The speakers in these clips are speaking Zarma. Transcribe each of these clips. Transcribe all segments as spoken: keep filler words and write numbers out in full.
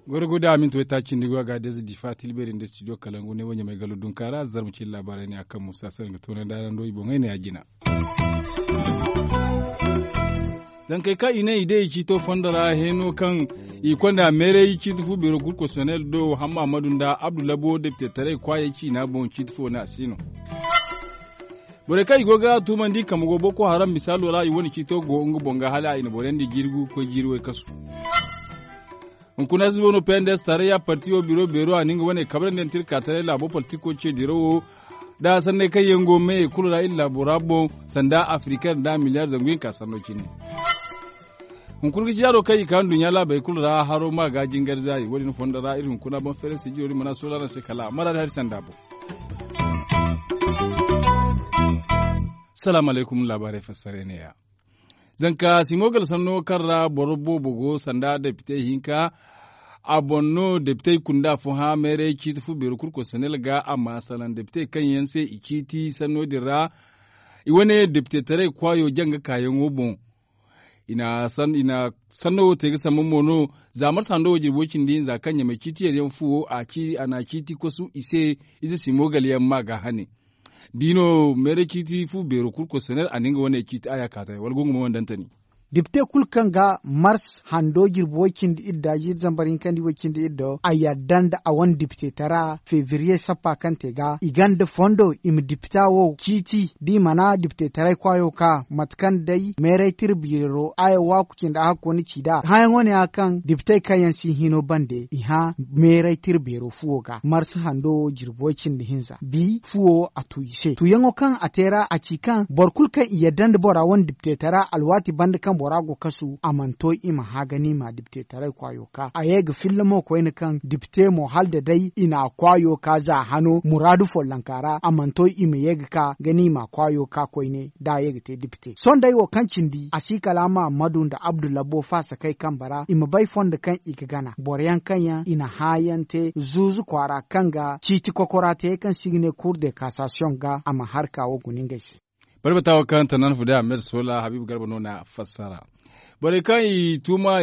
Gorgo da amin to ita cindi go a ga deza difa tilberi nda studio kalangu ne wanya mai galo dunka ra zarma cin labarai ne akan musa sar ga tona darando i boŋai ne a jina. Zankey kaŋ i ne i day i ciito fondo ra heno kaŋ i konda meeray ciiti fu biro kulu konsonel do hamma amadu nda abdu labo depite taray kwaayey ciina boŋ ciiti fo ne a si no. Borey kaŋ i go ga tuumandi kambe go boko haram misaalo ra i wane ciito go nga boŋ ga hala i na boro yaŋ di jiiri gu ga koy jiiri way kasu. Hunkuna si bono pendes tarayya partiyo biro beero a na nga wane kabrandi yaŋ tirka taray laabo politiko ce dirawo da sanney kaŋ yaŋ go me kulu ra iri laabo ra boŋ sanda afrika nda miliyar zangu hinka sanno cine. Hunkuna ga ci yaado kaŋ i ka nduɲɲa laabey kulu ra haro ma ga jingar zaari wo- din fondo ra iri hunkuna boŋ feeray se jiro din mana soolano se kala mara da hari sanda boŋ. Salaamu alaykum laabaarey fassarey ne- ya. Zanka simo gala sanno kaŋ ra boro boobo go sanda depite hinka a boŋ no depite kunda fo hã meeray ciiti fu beero kulu konsonel ga a ma salaŋ depite kaŋ yaŋ se i ciiti sanno din ra. I wane depite taray kwaayo janga kaayaŋo boŋ. I na sanno wo te ga sambu mo no za marsa hando wo jirbo cindi hinza kaŋ ɲamay ciiti yar yaŋ fuwo a na ciiti kosu i se. Ize simo gala yaŋ ma ga hane. Da i no meeray ciiti fu beero kulu konsonel a na nga wane ciiti a ya ka taray wala gungu mo wandantani. Depite kulu kaŋ ga mars hando jirbi way- cindi iri da jiiri zambar hinkandi way- cindi iri do a yadda nda a wane depite tara febriye sappa kaŋ te ga i ganda fondo i ma depita wo ciiti da i mana depite taray kwaayo ka mate kaŋ day meeray tira beero a ya waaku cindi a hakko ni ci nd'a hãyaŋo ne ya kaŋ depitey kaŋ yaŋ si hino bande i hã meeray tira beero fuwo ga mars hando jirbi way- cindi hinza bi fuwo a tu i se tuyaŋo kaŋ a te ra a ci kaŋ boro kulu kaŋ i yadda nda bora wane diptetara alwaati banda kaŋ bora go kasu a mana to i ma hã ga ni ma diptetaray kwaayo ka a ye ga filla mo koyne kaŋ dipte mo hala da day i na a kwaayo ka za hano muraadu follonka ra a mana to i ma ye ga ka ga ni ma a kwaayo ka koyne da a ye ga te dipte sohõ day wo kaŋ cindi a si kala mahamadu nda abdullabo faasakey kambe ra i ma bay fondo kaŋ i ga gana boro yaŋ kaŋ yaŋ i na hã yaŋ te zuuzu kwaara kaŋ ga ciiti kokora te kaŋ se i ga ne kuur de kasasiyoŋ ga a ma harka wo guna ngey se. Barbata wo kaŋ tannan fu day ahmed sola habiibu garba no na fassara. Borey kaŋ i tuuma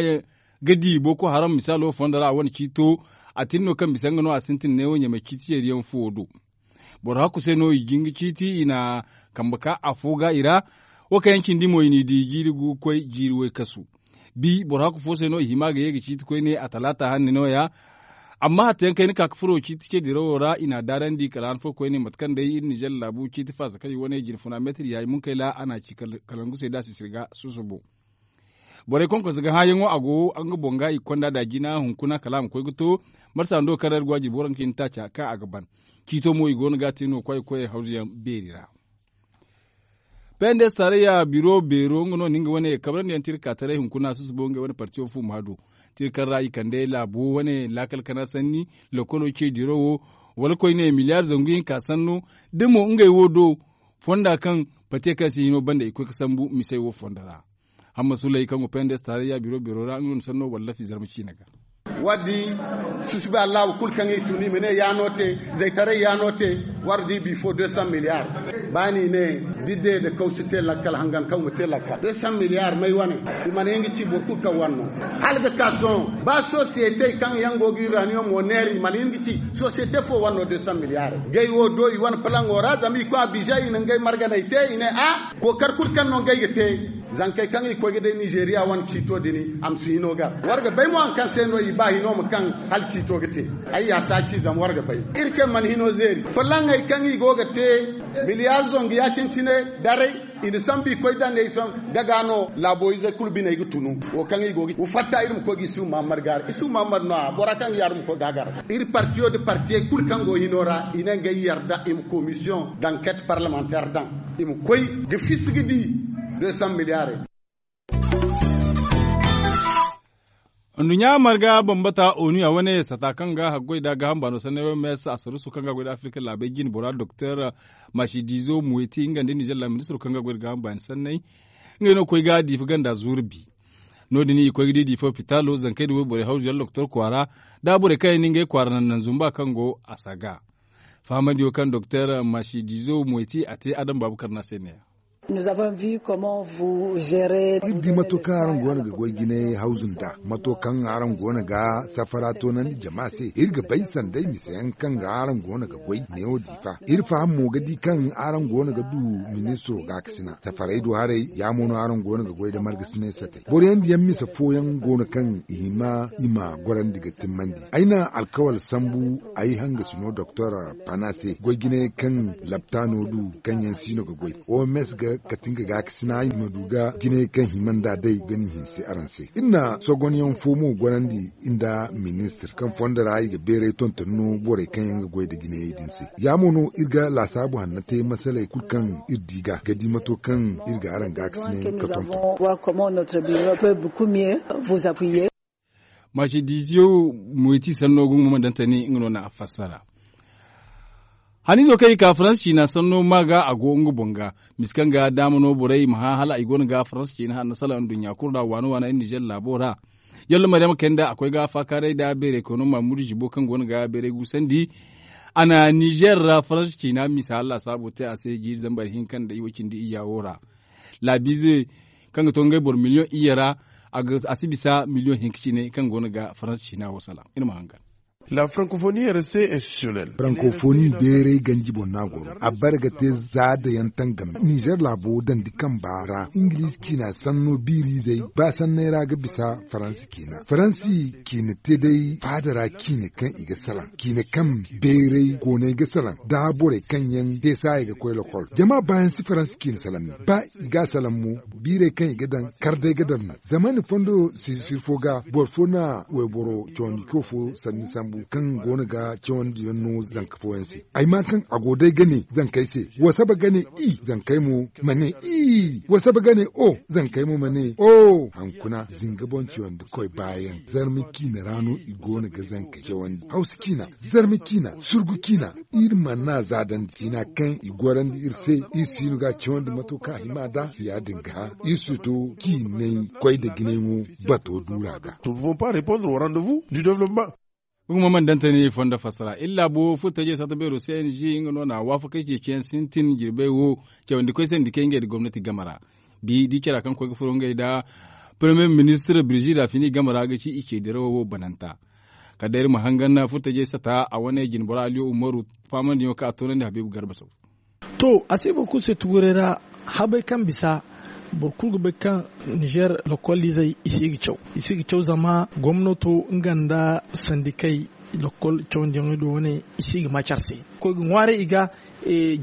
ga di boko haram misaalo fondo ra a wane ciito a tin no kaŋ bisa nga no a sintin neewo ɲamay ciiti yeeriyaŋ fuwo do. Boro hakku se no i jin ga ciiti i na kambe ka afo ga i ra. Wo kaŋ yaŋ cindi mo i n'i di jiiri gu ga koy jiiri way kasu. Bi boro hakku fo se no i hima ga ye ga ciiti koyne a talaata hanni no- ya. Amma hatta yaŋ kayna ka ga furo ciiti ce dirawo ra i n'a daarandi kala han fo koyne mate kaŋ day iri nizer laabu ciiti faasa kaŋ i wane jine funa meetir yaayi munkayla a n'a ci kalangu se da a si sirga susubo. Borey konkonse ga hãayaŋo a go nga boŋ ga i ga konda da jina hunkuna kala a ma koy ga to. Marsa hando kaŋ ra iri go a jirbi waranka cindi taaca kaŋ a ga ban. Ciito mo i go no ga a te no kwaay ga koy hawzu yaŋ beeri ra. Pendes tarayya biro beero nga no na nga wane kabrandi yaŋ tirka taray hunkuna susubo ngey wane partiyo fu ma hado. Tirka ra i kande laabo wane laakal kana sanni lokolo ce diro wo wala koyne miliyar zangu hinka sanno da mo ngey wo do fonda kaŋ pate kaŋ se hino banda i koy ga sambu misey wo fondo ra. Hamma sulay kaŋ go pendes tarayya biro beero ra nga no na sanno wallafi zarma ciina ga. War di susubi allahu kulu kaŋ i tun i ma ne ya no te zaytaray ya no te. War di bifo deux cent milliards. Ba ni ne didde da kaw si te lakkal hangan kaw ma te lakkal deux cent milliards may wane. I mana hin ga ci boro kulu kaŋ wane no hala ga ka sohõ ba société kaŋ yaŋ go ga uranium wo neera i mana hin ga ci société fo wane no deux cent milliards. Gay wo do i wane palango ra zama i koy a bijay i na ngey marganey te i ne a kookar kulu kaŋ no ngey ga te. Zankey kaŋ i koy ga day nizeeriya wane ciito din a ma si hino gar war ga bay mo hari kaŋ se no i ba hino ma kaŋ hala ciito ga te. Ay ya si a ci zama war ga bay iri kaŋ mana hino zeeri fulaŋey kaŋ i go ga te miliyar zangu ya-cine-cine daray. I na sambu i koy dande i sohõ gaga no laabo izey kulu biney ga tunu. Wo kaŋ i go ga fatta iri ma koy ga isuhu mahammad gaara isuhu mahammad no-ya bora kaŋ ga yaadin ma koy ga a gar iri partiyo nda partiyey kulu kaŋ go hino ra i ne ngey yarda i ma komisiyoŋ danket parlemanteer daŋ. I ma koy ga fisi ga di deux cent milliarey. Nduɲɲa marga bambata onu a wane sata kaŋ ga haggoy da gaaham baano sanney wo mes asarusu kaŋ ga goy da afirka laabey jine bora doktor masidizo muweti nga nda nizer laministiro kaŋ ga goy da gaaham baani sanney. Ngey no ga koy ga diifa ganda zuuru bi. No- din i koy ga di diifa opitalo zankey da wayborey hawzu yaŋ doktor kwaara da borey kaŋ yaŋ na ngey kwaara naŋ naŋ zumba kaŋ go a saga. Fahamandi wo kaŋ doktor masidizo moyti a te adam baabukar na se ne ya. Iri di mato kaŋ araŋ go no ga goy jinay hawzu nd'a mato kaŋ araŋ go no ga safara toonandi jama se iri ga bay sanday mise yaŋ kaŋ ra araŋ go no ga goy neewo diifa iri faham mo ga di kaŋ araŋ go no ga du ministiro gaakasina safaray do haray ya mo no araŋ go no ga goy nda margasinay satay boro yaŋ diyaŋ mise fooyaŋ go no kaŋ i hima i ma gorandi ga timmandi ay na alkawal sambu ay hangasi no doktor pana se goy jinay kaŋ laptaano du kaŋ yaŋ siino ga goy oms ga kati nga gaakasina i ma du ga jinay kaŋ hima nd'a day ga ni hinse araŋ se iri na sogonyaŋ fo mo gorandi nda ministir kaŋ fondo ra i ga beeray tonton no borey kaŋ yaŋ ga goy nda jinayey din se ya mo no iri ga laasaabu hanno te masaley kulu kaŋ iri di ga ga di mato kaŋ iri ga araŋ gaakasina yaŋ ga tonton. Masidizo moyti sanno gungu ma dantani nga no na a fassara. Haniizo kaŋ i ka faransa ciina sanno ma ga a go nga boŋ ga misi kaŋ ga daama no borey ma hã hala i go no ga faransa ciina hanno salaŋ nduɲɲa kulu ra waana waana iri nizer laabo ra. Yalla maryama kayna da a koy ga faakaaray nda beeray koyno maamudu zibo kaŋ go no ga beeray guusandi. A na nizer ra faransa ciina misa lasaabo te a se jiiri zambar hinka nda i way cindi iyya wo ra. Laabiize kaŋ ga to ngey boro miliyoŋ iyye ra a si bisa miliyoŋ hinka cine kaŋ go no ga faransa ciina wo salaŋ iri ma hangan. La frankofoni reste institutionnel. Frankofoni beeray ganji boŋ no a goro a bare ga te za da yaŋ tangam nizer laabo dandi kamba ra ingiliize ciina sanno biiriizey ba sanney ra ga bisa faransi ciina faransi ciina te day faada ra ciina kaŋ i ga salaŋ ciina kaŋ beeray koonay ga salaŋ da borey kaŋ yaŋ te saaya ga koy lokol jama baayaŋ si faransi ciina salaŋ ne ba i ga a salaŋ mo biirey kaŋ i ga daŋ kar day ga daŋ no zama ni fondo sirsi fo ga boro fo na wayboro cawandi koy fo sanni sambu kaŋ go no ga cawandi yaŋ no zanka fooyaŋ se ay ma kaŋ a go day ga ne zankey se wa saba ga ne i zankey mo ma ne i wa saba ga ne o zankey mo ma ne o hankuna zinga boŋ cawandi koy baayaŋ zarma ciina ra no i go no ga zankey cawandi hawsa ciina zarma ciina surgu ciina iri mana za dandi ciina kaŋ i gorandi iri se iri siino ga cawandi mato kaŋ a hima da ya- din ga iri si to ciinay koy nda jinay mo bato duura ga. Nous ne pouvons pas répondre au rendez-vous du développement. Hukumo mana dantani fondo fassara iri laabo furtajey satta beero cng nga no na waafakey ceeciyaŋ sintin jirbey wo cawandi koy se nda kay ngey nda gomnati game ra. Bi da i cara kaŋ koy ga furo ngey nda premier ministir birzi rafini game ra ga ci i ce dirawo wo bananta. Kala day iri ma hangan furtajey satta a wane jinbora aliyo umaru faamandiyaŋo kaŋ a toonandi habiibu garba saw. To a si boro kulu se tuguray ra habey kaŋ bisa boro kulu ga bay kaŋ nizer lokoliizey i si ga caw i si ga caw zama gomnato nga nda sandikey lokol cawandiyaŋey do wane i si ga ma care se koy ga ŋwaaray i ga.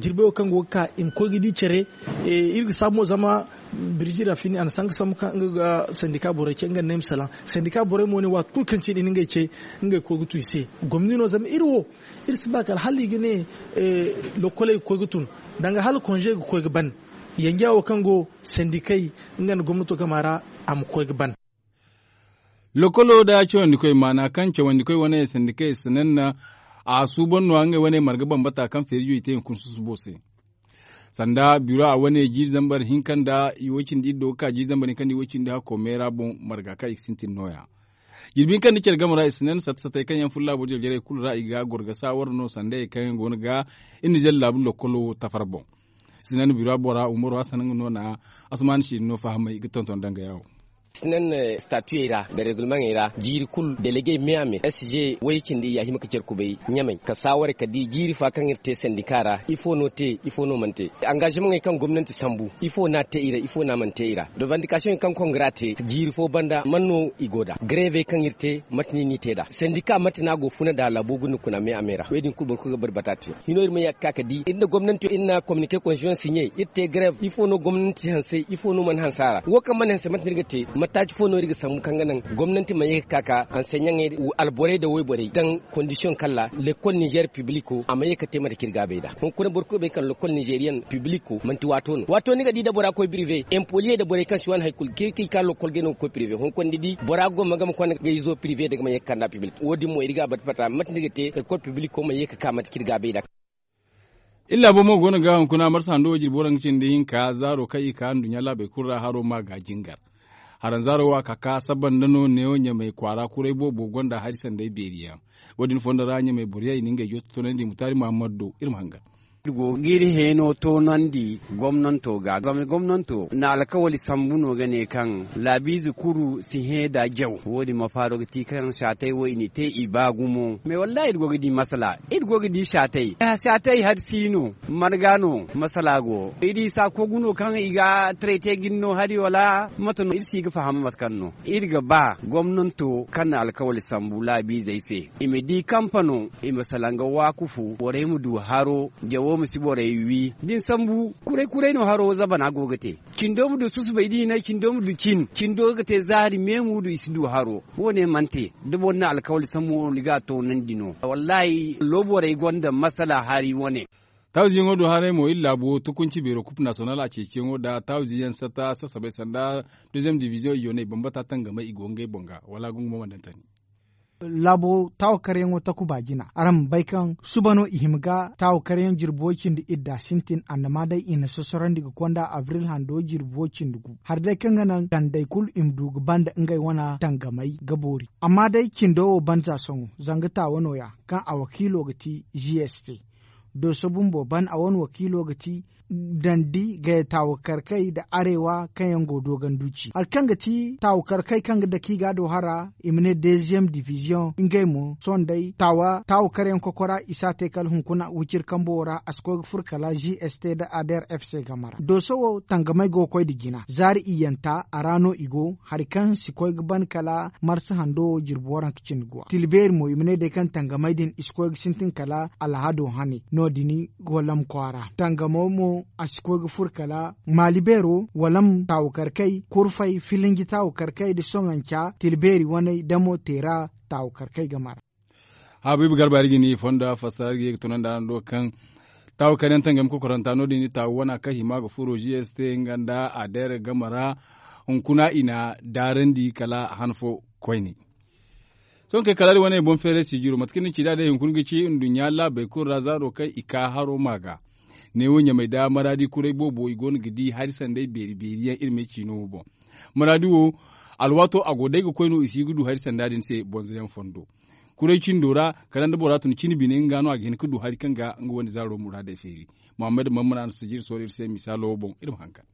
Jirbi wo kaŋ go ga ka i ma koy ga di care iri ga saabu mo zama birzi rafini a na sanka sambu kaŋ nga ga sandika borey ce nga nda ay ma salaŋ sandika borey mo ne waati kulu kaŋ cine i na ngey ce ngey koy ga tu i se gomni no zama iri wo iri si ba kala hala i ga ne lokoley ga koy ga tun danga hala konze ga koy ga ban yanja wo kaŋ go sandikey nga nda gomnato game ra a ma koy ga ban. Lokolo nda cawandikoy maana kaŋ cawandikoy wane sandikey sanaŋ na a suuban no ngey wane marga bambata kaŋ feerijo i te hunkuna susubo se. Sanda biro a wane jiiri zambar hinka nda i way cindi iri do ga ka jiiri zambar hinka nda i way cindi hakko meera boŋ marga kaŋ i ga sintin nooya. Jirbi hinka nda care game ra i si naŋ satta sattey kaŋ yaŋ furo laabo jarjarey kulu ra i ga goro ga saawara no sanda yaŋ kaŋ yaŋ go no ga iri nizer laabu lokolo tafar boŋ. Sinan bira bora umaru hassan nga no na asman si no fahamay ga tonton danga yawo. Sinan statuyey ra da regulamentey ra jiiri kulu delegey me a me s g way cindi i ya hima ga care kubay ɲamay ka saaware ka di jiiri fa kaŋ iri te sandika ra ifo no te ifo no mana te. Angazimaŋey kaŋ gomnanti sambu ifo no a te i ra ifo no a mana te i ra. Revandikasiyoney kaŋ kongra te jiiri fo banda man no i go nd'a garevey kaŋ iri te mate no i n'i te nd'a sandika mate no a go funa nd'a laabo guna kuna me a me ra wo- din kulu boro kulu ga bari bata te. Hino iri ma ye ga ka ga di iri nda gomnanti iri na kominike konsiyon siɲe iri te garev ifo no gomnanti hanse ifo no mana hanse a ra wo kaŋ mana hanse mate no iri ga te mataaci fo no iri ga sambu kaŋ ga naŋ gomnanti ma ye ga ka ga anseɲaŋey alborey nda wayborey daŋ kondisiyoŋ kaŋ ra lekol nizer pibliko a ma ye ga te mate kaŋ iri ga a bay nd'a hunkuna boro kulu ga bay kaŋ lekol nizeriyaŋ pibliko manti waato no waato ni ga di nda bora koy pirive empoliye nda borey kaŋ si waani hari kulu kaŋ i ka lokol ga no ga koy pirive hunkuna ni di bora go ma game konda ga izo pirive nda ga ma ye ga kand'a pibliko wo- din mo iri ga a bata bata mate no iri ga te lekol pibliko ma ye ga ka mate kaŋ iri ga a bay nd'a. Iri laabo mo go no ga hunkuna marsa hando wo jirbi waranka cindi hinka zaaro kaŋ i ka nduɲɲa laabey kulu ra haro ma ga jingar. Haranzaaro wo a ka ka saba nda no neewo ɲamay kwaara kuray boobo gonda hari sanday beeri yaŋ. Wo- din fondo ra ɲamey boro yaŋ i na ngey jooti toonandi mutaari muhammad do iri ma hangan. Iri go ga iri heeno toonandi gomnanto ga zama gomnanto na alkawali sambu no ga ne kaŋ laabiize kulu si hẽ nda jaw. Wo- din mafaaro ga ti kaŋ saatey wo i n'i te i ba gumo mais wallaahi iri go ga di masala iri go ga di saatey saatey hari si no. Marga no masala go iri saako guno kaŋ i ga tarayte ga ni no hari wala mate no iri si ga faham mate kaŋ no iri ga ba gomnanto kaŋ na alkawali sambu laabiizey se i ma di kampano i ma salaŋ ga waakufu borey ma du haro jawo ma si borey wi da ni sambu kuray kuray no haro zabana go ga te. Cindo ma du susubay da i ne cindo ma du cin cindo ga te zaari meemu du i si du haro. Wo- ne mana te da boro na alkawali sambu wo ni ga a toonandi no wallaahi looborey gonda masala hari wane. Taaziyaŋo do haray mo iri laabo tukunci beero kup nasiyonal a ceeciyaŋo nda taaziyaŋ sata sasabay sanda deeziyem diviziyoŋ i yoonay bambata tangamay i go ngey boŋ ga wala gungu mo mana daŋ tani. Laabo taawakaryaŋo takuba jina araŋ ma bay kaŋ suba no i hima ga taawakaryaŋ jirbi way cindi idda sintin annama day i na sosorandi ga konda abril hando jirbi way cindi gu hari day kaŋ ga naŋ gandey kulu i ma du ga banda ngey wane tangamey ga boori amma day cindo wo ban za sohõ zanga taawa nooya kaŋ a wakiilo ga ti g s t. Dooso bumbo ban a wane wakiilo ga ti dandi gaya taawakarkey nda areewa kaŋ yaŋ go dooganduuci hari kaŋ ga ti taawakarkey kaŋ ga dake i ga a do hara i ma ne deeziyem diviziyoŋ ngey mo sohõ day taawakaryaŋ kokora i si a te kala hunkuna wiciri kambo wo ra a si koy ga furo kala g s t nda ader f c game ra dooso wo tangamey go ga koy nda jina zaari iyyanta a ra no i go hari kaŋ si koy ga ban kala marsa hando wo jirbi waranka cindi guwa tila beeri mo i ma ne day kaŋ tangamey din i si koy ga sintin kala alhado hane no- din walam kwaara tangamo mo a si koy ga furo kala maali beero walam taawakarkey kurfey filinji taawakarkey nda soŋanca tila beeri waney damo teera taawakarkey game ra. Habiibu garba iri ga ni fonda fassara iri ga ye ga tunandi araŋ do kaŋ taawakaryaŋ tangami kokoranta no- din taawa wana kaŋ hima ga furo g s t nga nda ader game ra hunkuna i na daarandi kala a han fo koyne. Sohõ kay kala iri wane boŋ feeray sijiro mate kaŋ ni ci nd'a day hunkuna ga ci nduɲɲa laabey kulu ra zaaro kaŋ i ka haro ma ga neewo ɲamey nda maraadi kuray boobo i go no ga di hari sanday beeri beeri yaŋ iri ma ay ciino wo boŋ. Maraadi wo alwaato a go day ga koy no i si ga du hari sanda din se bonzoyaŋ fondo kuray cindo ra kala nda bora tun cine bine nga no a ga hin ga du hari kaŋ ga nga wane zaaro muraadey feeri. Muhammad mammana no sijiri sooro iri se misaalo wo boŋ iri ma hangan.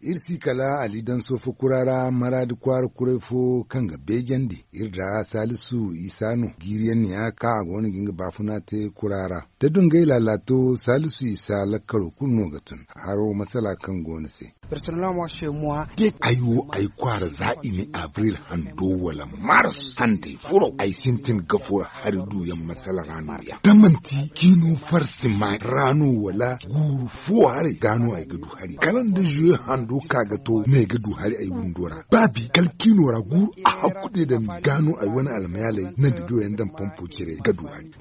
Iri si kala ali daŋ soofo kura ra maraadi kwaara kuray fo kaŋ ga beejandi iri da salisu isa no jiiriyaŋ ne ya kaŋ a go no ga nga baafuna te kura ra da dungay laalaato salisu isa lakkalo kulu no ga tun haro masala kaŋ go no se. Ay wo ay kwaara za i ne abril hando wala mars handey furo ay sintin ga furo hari duyaŋ masala ra no ya da manti ciino farsi ma ra no wala guuru fo haray ga no ay ga du hari kala nda zuwe hando ka ga to no ay ga du hari ay windo ra baabi kala ciino ra guuru a hakku de dandi ga no ay wane almayaaley nangu duyaŋ daŋ pompo cire ga du hari.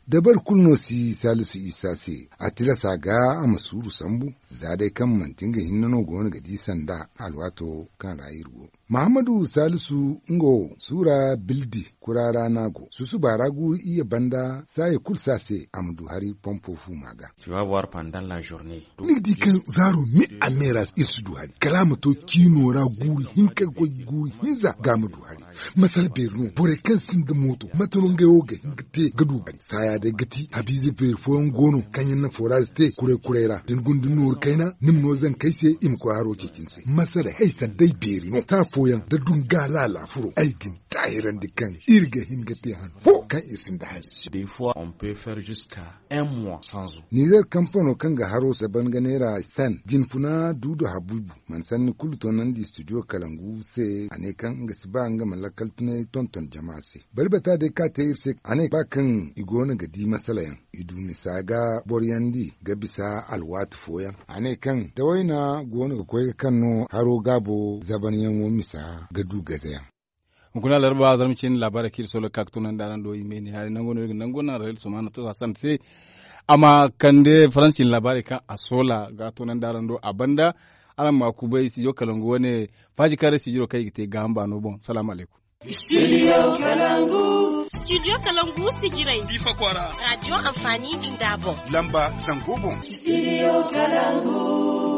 Dabari kulu no si salisu isa se a tilasa ga a ma suuru sambu za day kaŋ manti nga hinne no go no ga di sanda alwaato kaŋ ra iri go. Mahammadu salisu nga wo suura bildi kura ra no a go susuba ra guuru iyye banda saaya kulu se a se a ma du hari pompo fuuma ga. Ni ga di kaŋ zaaro me a me ra iri si du hari kala a ma to ciino ra guuru hinka ga koy guuru hinza ga a ma du hari. Masala beeri no borey kaŋ sinda mooto mate no ngey wo ga hin ga te ga du hari saaya day ga ti habiize beeri fooyaŋ go no kaŋ yaŋ na foraaze te kuray kuray ra da ni guna da ni nooru kayna ni ma no zankey se i ma koy haro ceeci ni se masala hay sanday beeri no saa fooyaŋ da dunga laala furo ay ga ni taahirandi kaŋ iri ga hin ga te han fo kaŋ iri sinda hari. Nizer kampano kaŋ ga haro saban ga neera san jinfuna duudu habiibu mana sanni kulu toonandi studio kalangu se a ne kaŋ nga si ba nga ma lakkal tunay tonton jama se bari bata day ka te iri se a ne ba kaŋ i go no ga di masala yaŋ i du misa ga boroyandi ga bisa alwaati fooyaŋ a ne kaŋ tawayna go no ga koy ga kaŋ no haro gaabo zabanyaŋo misa ga du gazayaŋ. Hunkuna larba zarma cin labaarey kaŋ iri soola ga ka ga toonandi araŋ do i me ne hari nango no iri ga nango naŋ rayil somaana to hasan se a ma kande faransi cin labaarey kaŋ a soola ga toonandi araŋ do a banda. Araŋ ma kubay studio kalangu wane faaji kaŋ ra studio kaŋ i ga te gaaham baano boŋ salaamu alaykum. Studio kalangu. Studio kalangu sijirey diifa kwaara radio anfaani jinda boŋ lamba zango boŋ. Studio kalangu.